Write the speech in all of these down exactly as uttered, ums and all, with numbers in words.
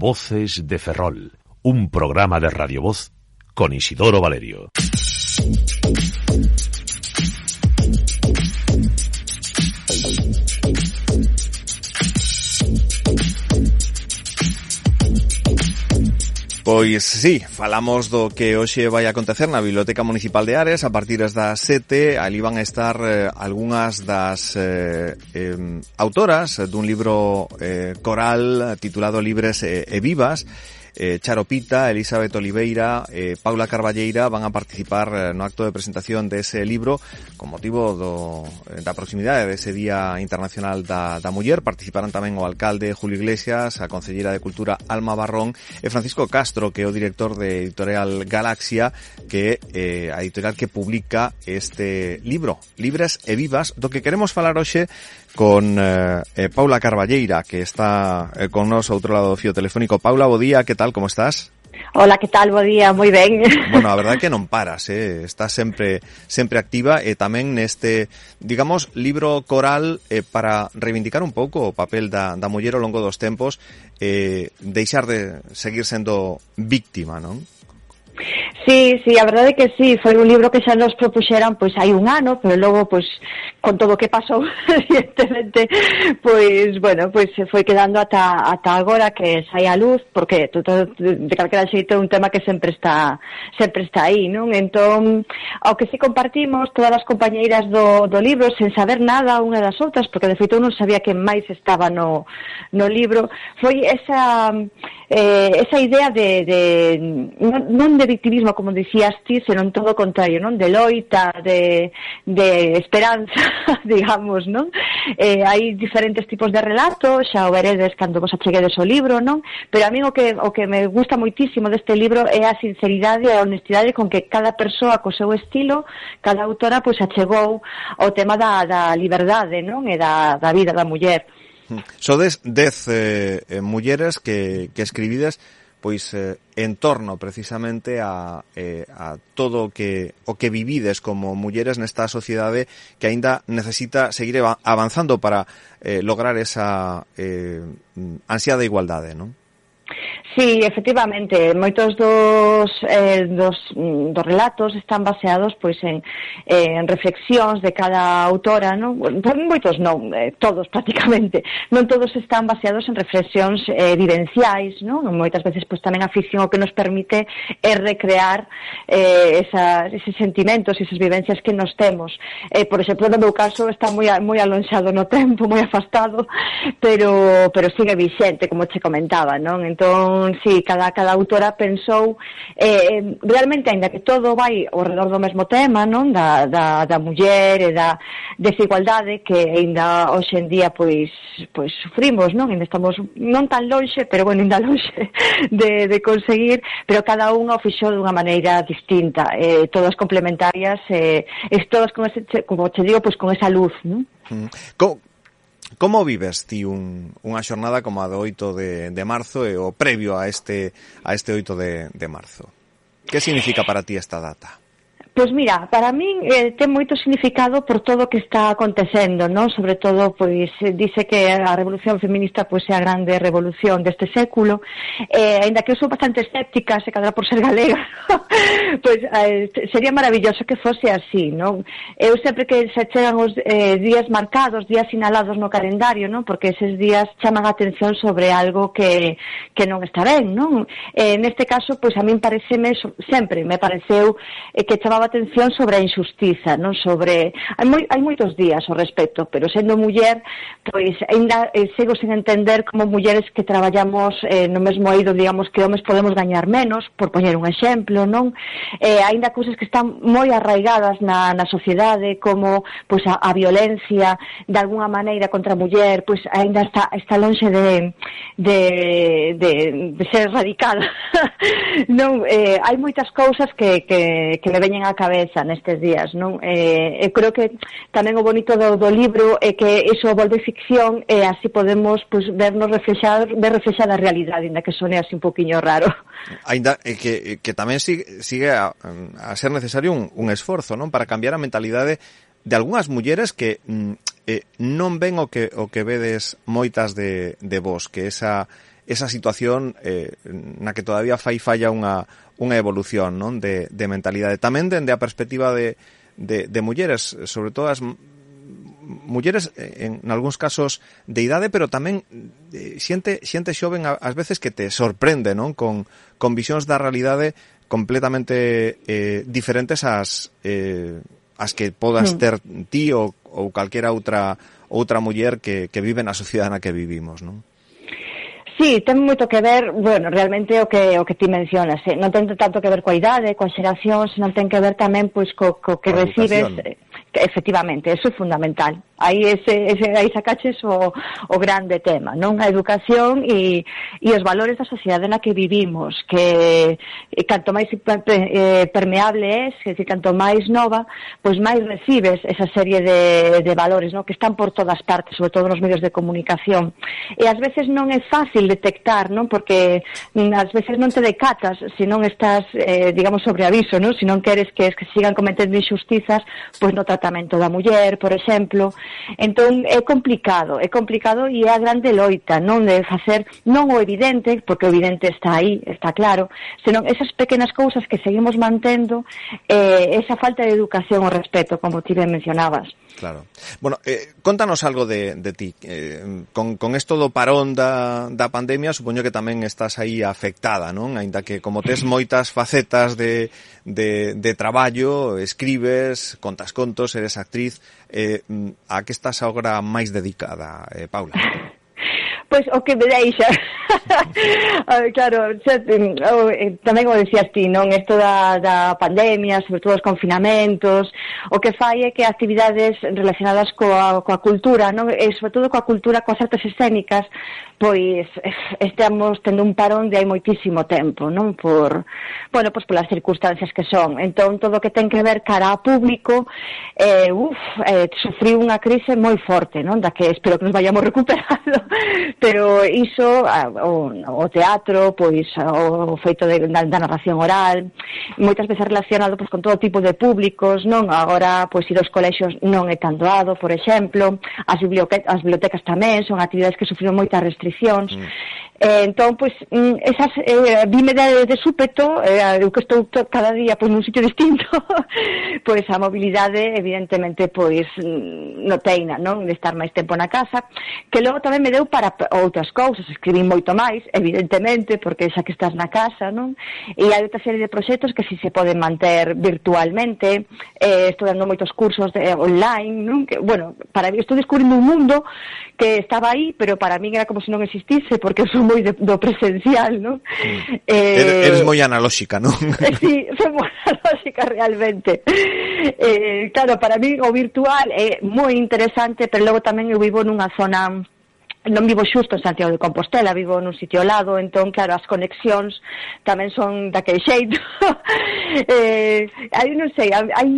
Voces de Ferrol, un programa de Radio Voz con Isidoro Valerio. Pois sí, falamos do que hoxe vai acontecer na Biblioteca Municipal de Ares a partir das sete. Ali van a estar eh, algunhas das eh, eh, autoras dun libro eh, coral titulado Libres e, e Vivas. Eh, Charo Pita, Elizabeth Oliveira, eh, Paula Carballeira van a participar eh, no acto de presentación dese libro con motivo do, da proximidade dese Día Internacional da, da Muller. Participarán tamén o alcalde Julio Iglesias, a concelleira de Cultura Alma Barrón e Francisco Castro, que é o director de Editorial Galaxia, que é eh, a editorial que publica este libro, Libres e Vivas, do que queremos falar hoxe con eh, eh, Paula Carballeira, que está eh, con nos ao outro lado do fío telefónico. Paula, bo día, que tal, como estás? Hola, que tal, bo día, moi ben. Bueno, a verdade é que non paras, eh? Estás sempre sempre activa e tamén neste, digamos, libro coral eh, para reivindicar un pouco o papel da, da muller ao longo dos tempos, eh, deixar de seguir sendo víctima, non? Sí, sí, a verdade é que sí, foi un libro que xa nos propuxeran pois hai un ano, pero logo pois con todo o que pasou, evidentemente, pois bueno, pois se foi quedando ata ata agora que sai a luz, porque todo, de calquera xeito é un tema que sempre está sempre está aí, non? Entón, ao que si compartimos todas as compañeiras do do libro sen saber nada unha das outras, porque de feito eu non sabía que máis estaba no no libro, foi esa eh, esa idea de, de non, non de victimismo, como dicías ti, senón todo o contrario, non? De loita, de, de esperanza, digamos, non? Eh, hai diferentes tipos de relatos, xa o veredes cando vos acheguedes o libro, non? Pero a mí o que, o que me gusta moitísimo deste libro é a sinceridade e a honestidade con que cada persoa co seu estilo, cada autora, pois achegou o tema da, da liberdade, non? E da, da vida da muller. Sodes dez eh, eh, mulleres que, que escribides pois eh, en torno precisamente a, eh, a todo o que o que vivides como mulleres nesta sociedade que aínda necesita seguir avanzando para eh, lograr esa eh, ansiada igualdade, non? Sí, efectivamente, moitos dos, eh, dos, dos relatos están baseados pois en, eh, en reflexións de cada autora, non? Moitos non, eh, todos prácticamente, non todos están baseados en reflexións eh, vivenciais, non? Moitas veces pois tamén a ficción o que nos permite é recrear eh, esas, eses sentimentos, esas vivencias que nos temos. Eh, por exemplo, no meu caso está moi, moi alonxado no tempo, moi afastado, pero, pero sigue vixente, como che comentaba, non? Entón, sí, cada, cada autora pensou eh, realmente, aínda que todo vai ao redor do mesmo tema, non? Da, da, da muller e da desigualdade que aínda hoxe en día pois, pois sufrimos, non? Ainda estamos non tan lonxe, pero bueno, ainda lonxe de, de conseguir, pero cada unha o fixou dunha maneira distinta, eh, todas complementarias, eh, e todas con ese, como te digo, pois con esa luz, non? Mm. Co Como vives ti un, unha xornada como a do oito de, de marzo e o previo a este a este oito de, de marzo? Que significa para ti esta data? Pois mira, para min eh, ten moito significado por todo o que está acontecendo, non? Sobre todo, pois, dice que a revolución feminista pois é a grande revolución deste século, eh, ainda que eu sou bastante escéptica, se cadra por ser galega, pois eh, sería maravilloso que fose así, non? Eu sempre que se chegan os eh, días marcados, días sinalados no calendario, non? Porque eses días chaman a atención sobre algo que, que non está ben, non? Eh, neste caso, pois a min pareceme, sempre me pareceu eh, que chamaba atención sobre a injustiza, non? Sobre hai, moi, hai moitos días ao respecto, pero sendo muller, pois ainda eh, sigo sen entender como mulleres que traballamos eh, no mesmo eido, digamos que homes podemos gañar menos, por poñer un exemplo, non? Eh, ainda cousas que están moi arraigadas na, na sociedade, como pois a, a violencia de alguna maneira contra a muller, pois ainda está, está lonxe de, de, de, de ser erradicada. Non, eh, hai moitas cousas que, que, que me veñen a cabeza nestes días, non? Eh, eu creo que tamén o bonito do, do libro é que iso volve ficción e así podemos pues, vernos reflexar, ver reflexada a realidade, ainda que sone así un poquinho raro. Ainda eh, que, que tamén sigue, sigue a, a ser necesario un, un esforzo, non? Para cambiar a mentalidade de algunhas mulleres que mm, eh, non ven o que o que vedes moitas de, de vos, que esa esa situación eh, na que todavía fai falla unha, unha evolución, non? De, de mentalidade. Tamén dende a perspectiva de, de, de mulleres, sobre todo as mulleres en, en algúns casos de idade, pero tamén eh, xente, xente xoven ás veces que te sorprende, non? Con, con visións da realidade completamente eh, diferentes ás, eh, ás que podas ter ti ou, ou calquera outra outra muller que, que vive na sociedade na que vivimos, non? Sí, ten moito que ver, bueno, realmente o que o que ti mencionas, eh? non ten tanto que ver coa idade, coa xeración, senón ten que ver tamén pois co, co que recibes, eh, que, efectivamente, eso é fundamental. Aí ese, ese aí sacaches o, o grande tema, non? A educación e, e os valores da sociedade na que vivimos, que e canto máis eh, permeable é, que canto máis nova, pois máis recibes esa serie de, de valores, non? Que están por todas partes, sobre todo nos medios de comunicación. E ás veces non é fácil detectar, non? Porque ás veces non te decatas se non estás, eh, digamos, sobre aviso, non? Se non queres que, que sigan cometendo injustizas, pois no tratamento da muller, por exemplo. Entón é complicado, é complicado e é a grande loita, non? De facer non o evidente, porque o evidente está aí, está claro, senón esas pequenas cousas que seguimos mantendo, eh, esa falta de educación ao respecto, como ti ben mencionabas. Claro. Bueno, eh, contanos algo de, de ti. Eh, con, con esto do parón da, da pandemia, supoño que tamén estás aí afectada, non? Ainda que como tes moitas facetas de, de, de traballo, escribes, contas contos, eres actriz, eh, a que estás agora máis dedicada, eh, Paula? Pois o que me deixa. Claro, xa, tamén o decías ti, non? Isto da, da pandemia, sobre todo os confinamentos, o que fai é que actividades relacionadas coa, coa cultura, non? E sobre todo coa cultura, coas artes escénicas, pois estamos tendo un parón de hai moitísimo tempo, non? Por, bueno, pois polas circunstancias que son. Entón, todo o que ten que ver cara a público, eh, uf, eh, sufriu unha crise moi forte, non? Da que espero que nos vayamos recuperando. Pero iso, o, o teatro, pois o feito de, da, da narración oral, moitas veces relacionado pois, con todo tipo de públicos, non? Agora, pois, ir aos colexios non é tan doado, por exemplo, as bibliotecas, as bibliotecas tamén son actividades que sufriron moitas restriccións. Mm. Eh, entón, pois, esas, eh, vime de, de súpeto, eh, eu que estou to, cada día pois, nun sitio distinto, pois a mobilidade, evidentemente, pois, no teina, non? De estar máis tempo na casa, que logo tamén me deu para outras cousas, escribín moito máis, evidentemente, porque xa que estás na casa, non? E hai outra serie de proxectos que si se poden manter virtualmente, eh, estou dando moitos cursos de, online, non? Que, bueno, para mí estou descubrindo un mundo que estaba aí, pero para mí era como se non existise, porque son moi de, do presencial, non? Mm. Eh, eres moi analóxica, non? Sí, son moi analóxica realmente. Eh, claro, para mí o virtual é moi interesante, pero logo tamén eu vivo nunha zona, non vivo xusto en Santiago de Compostela, vivo nun sitio ao lado, entón, claro, as conexións tamén son daquele xeito. eh, hai, non sei, hai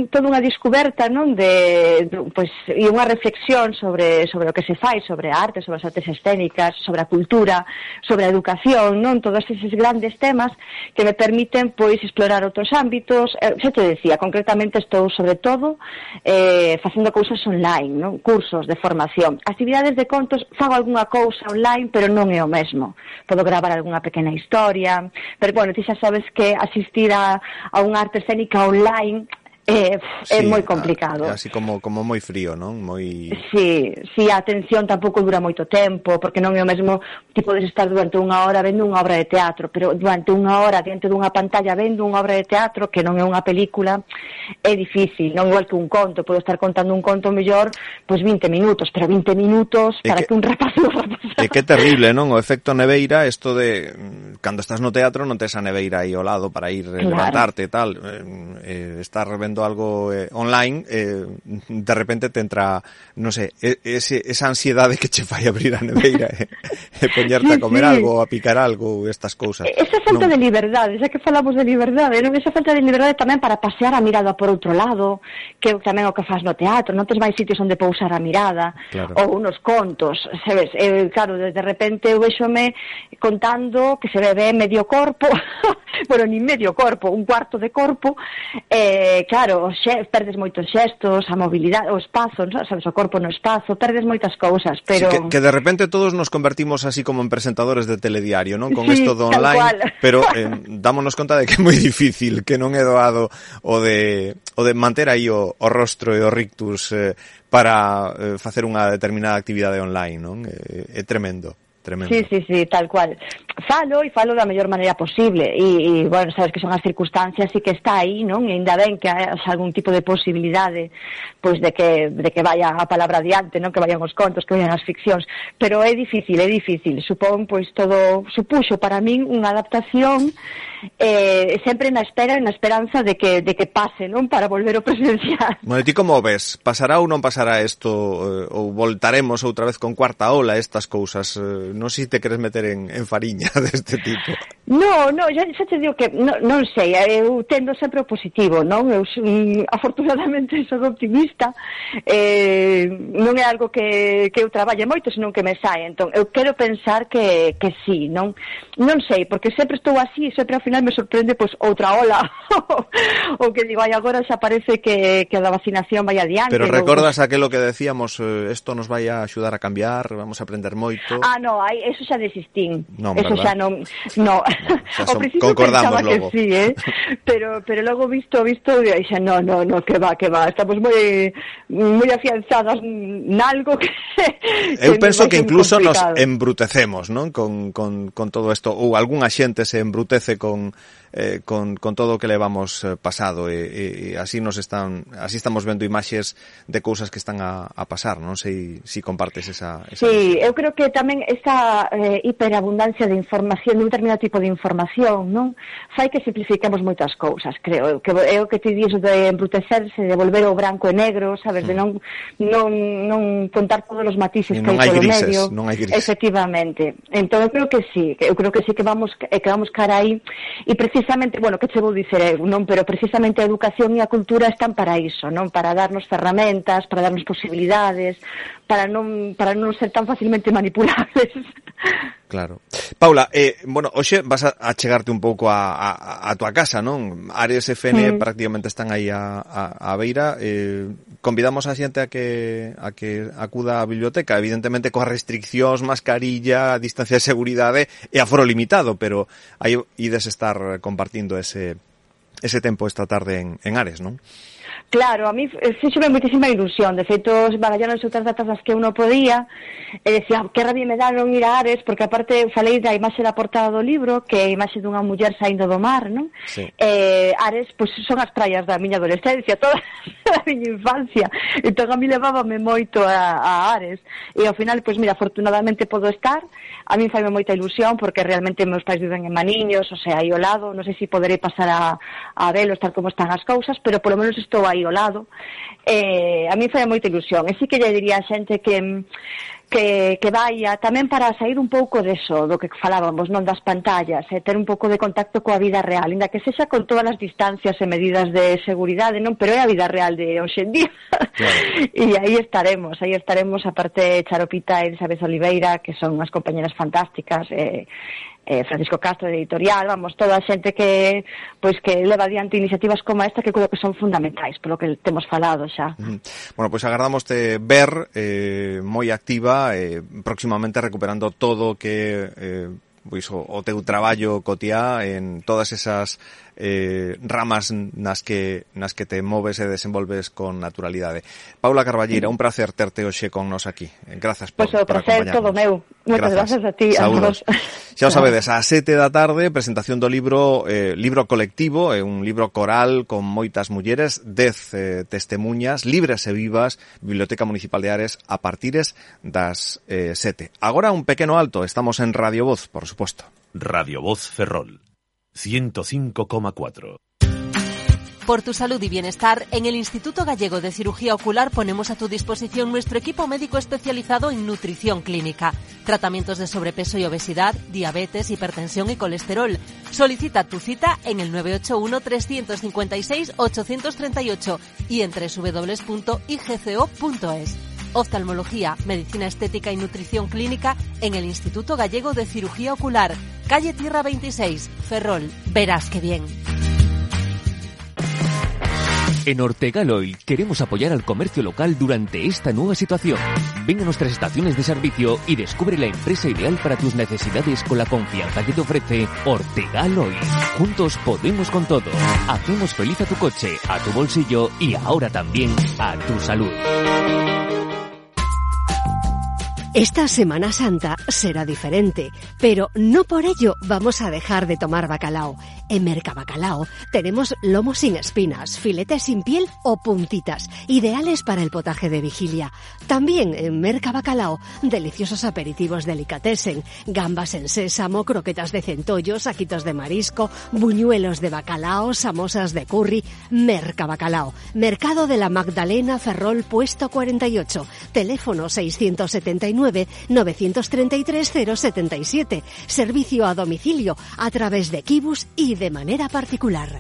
toda unha descoberta, non, de, de pois, e unha reflexión sobre, sobre o que se fai, sobre a arte, sobre as artes escénicas, sobre a cultura, sobre a educación, non, todos eses grandes temas que me permiten, pois, explorar outros ámbitos. Eh, xa te decía, concretamente estou, sobre todo, eh, facendo cousas online, non, cursos de formación, actividades de contos. Fago algunha cousa online, pero non é o mesmo. Podo gravar algunha pequena historia, pero, bueno, ti xa sabes que asistir a, a unha arte escénica online é, é sí, moi complicado. É así como, como moi frío, non? Moi... Sí, sí, a atención tampouco dura moito tempo, porque non é o mesmo, ti podes estar durante unha hora vendo unha obra de teatro, pero durante unha hora diante dunha pantalla vendo unha obra de teatro que non é unha película, é difícil, non igual que un conto. Podo estar contando un conto mellor, pois vinte minutos, pero vinte minutos para que, que un rapazo rapaz. É que é terrible, non? O efecto neveira, isto de cando estás no teatro non tes a neveira aí ao lado para ir claro. Levantarte e tal, eh, estar vendo algo eh, online, eh, de repente te entra, non sei, ese, esa ansiedade que che fai abrir a neveira e, e poñerte sí, a comer sí. algo, a picar algo, estas cousas. Esa falta non... de liberdade, xa que falamos de liberdade, non? Esa falta de liberdade tamén para pasear a mirada por outro lado, que tamén o que faz no teatro, non tes máis sitios onde pousar a mirada, claro. Ou unos contos, sabes? Eh, claro, de repente eu vexome contando que se ve medio corpo bueno, ni medio corpo, un cuarto de corpo, eh, claro, xe, perdes moitos xestos, a mobilidade, o espazo, ¿no? Sabes, o corpo no espazo, perdes moitas cousas, pero... Sí, que, que de repente todos nos convertimos así como en presentadores de telediario, non? Con sí, isto do online, pero eh, dámonos conta de que é moi difícil, que non é doado o de, o de manter aí o, o rostro e o rictus eh, para eh, facer unha determinada actividade online, non? É, é tremendo. Tremendo. Sí, sí, sí, tal cual. Falo e falo da mellor maneira posible e, e bueno, sabes que son as circunstancias e que está aí, non? E ainda ben que hai algún tipo de posibilidade pois de que de que vaya a palabra adiante, non? Que vayan os contos, que vayan as ficcións, pero é difícil, é difícil. Supón pois todo supuxo para min unha adaptación eh, sempre na espera e na esperanza de que de que pase, non? Para volver ao presencial. Bueno, ti como ves? Pasará ou non pasará isto eh, ou voltaremos outra vez con cuarta ola estas cousas? Eh, non sei se te queres meter en, en fariña deste tipo. No, no, xa, xa te digo que no, non sei, eu tendo sempre o positivo, non? Eu um, afortunadamente son optimista, eh, non é algo que, que eu traballe moito, senón que me sae, entón eu quero pensar que, que sí, non? Non sei, porque sempre estou así, sempre ao final me sorprende pois outra ola, o que digo, ai, agora xa parece que, que a vacinación vai adiante. Pero recordas ou... aquilo que decíamos, isto eh, nos vai a axudar a cambiar, vamos a aprender moito. Ah, no, aí, eso xa desistín. Non, eso verdad? xa non, no. Xa son, concordamos logo. Que sí, eh? pero pero logo visto, visto, xa no, no, no, que va, que va. Estamos moi moi afianzadas nalgo que, que eu penso que incluso complicado. Nos embrutecemos, non? Con, con, con todo isto, ou algunha xente se embrutece con eh, con, con todo o que levamos eh, pasado e, e, e así nos están así estamos vendo imaxes de cousas que están a, a pasar, non sei se si compartes esa, esa Sí, eu creo que tamén esta eh, hiperabundancia de información, de un determinado tipo de información, non? Fai que simplifiquemos moitas cousas, creo. Que é o que te dixo de embrutecerse, de volver ao branco e negro, sabes, mm. de non non non contar todos os matices que hai polo grises, medio. Non hai grises. Efectivamente. Entón eu creo que sí, que eu creo que sí que vamos que vamos cara aí e precisamente, bueno, que che vou dicer eu, non, pero precisamente a educación e a cultura están para iso, non? Para darnos ferramentas, para darnos posibilidades, para non para non ser tan facilmente manipulables. Claro. Paula, eh, bueno, hoxe vas a, a chegarte un pouco a, a, a tua casa, non? Ares e Fene mm. prácticamente están aí a, a, a beira. Eh, convidamos a xente a que a que acuda á biblioteca, evidentemente coas restriccións, mascarilla, distancia de seguridade e aforo limitado, pero aí ides estar compartindo ese ese tempo esta tarde en, en Ares, non? Claro, a mí fíxome moitísima ilusión. De feito, barallaron outras datas das que eu non podía e decía, que rabia me dá non ir a Ares, porque aparte falei da imaxe da portada do libro, que é a imaxe dunha muller saindo do mar, non? Sí. Eh, Ares, pois pues, son as praias da miña adolescencia, toda a miña infancia. Entón a mí levábame moito a, a Ares e ao final, pois pues, mira, afortunadamente podo estar. A mí faime moita ilusión porque realmente meus pais viven en Maniños, o sea, aí ao lado, non sei se poderei pasar a, a velos tal como están as cousas, pero polo menos estou aí ao lado. Eh, a mí foi moita ilusión. E sí que lle diría a xente que que, que vaya tamén para sair un pouco deso, do que falábamos, non das pantallas, e ter un pouco de contacto coa vida real, ainda que sexa con todas as distancias e medidas de seguridade, non, pero é a vida real de hoxe en día. Claro. E aí estaremos, aí estaremos, aparte Charopita e Elizabeth Oliveira, que son unhas compañeras fantásticas, e eh, Francisco Castro de Editorial, vamos, toda a xente que pois que leva adiante iniciativas como esta que creo que son fundamentais, polo que temos falado xa. Mm. Bueno, pois agardamos te ver eh, moi activa, eh, próximamente recuperando todo que eh, pois o, o teu traballo cotiá en todas esas eh, ramas nas que nas que te moves e desenvolves con naturalidade. Paula Carballeira, un placer terte hoxe con nos aquí. Grazas por, pues o por placer acompañarnos. todo meu. Moitas gracias a ti. Saúdos. Xa o sabedes, a sete da tarde, presentación do libro eh, libro colectivo, é un libro coral con moitas mulleres, dez eh, testemunhas libres e vivas, Biblioteca Municipal de Ares, a partires das eh, sete. Agora un pequeno alto, estamos en Radio Voz, por suposto. Radio Voz Ferrol, ciento cinco coma cuatro. Por tu salud y bienestar, en el Instituto Gallego de Cirugía Ocular ponemos a tu disposición nuestro equipo médico especializado en nutrición clínica, tratamientos de sobrepeso y obesidad, diabetes, hipertensión y colesterol. Solicita tu cita en el nueve ocho uno, tres cinco seis, ocho tres ocho y en doble u doble u doble u punto i ge ce o punto es. Oftalmología, medicina estética y nutrición clínica en el Instituto Gallego de Cirugía Ocular. calle Tierra veintiséis, Ferrol. Verás qué bien. En Ortegal Oil queremos apoyar al comercio local durante esta nueva situación. Ven a nuestras estaciones de servicio y descubre la empresa ideal para tus necesidades con la confianza que te ofrece Ortegal Oil. Juntos podemos con todo. Hacemos feliz a tu coche, a tu bolsillo y ahora también a tu salud. Esta Semana Santa será diferente, pero no por ello vamos a dejar de tomar bacalao. En Mercabacalao tenemos lomo sin espinas, filetes sin piel o puntitas, ideales para el potaje de vigilia. También en Mercabacalao, deliciosos aperitivos delicatessen, gambas en sésamo, croquetas de centollo, saquitos de marisco, buñuelos de bacalao, samosas de curry. Mercabacalao, Mercado de la Magdalena, Ferrol, puesto cuarenta y ocho, teléfono seiscientos setenta y nueve, novecientos treinta y tres, cero setenta y siete, servicio a domicilio a través de Kibus y de manera particular.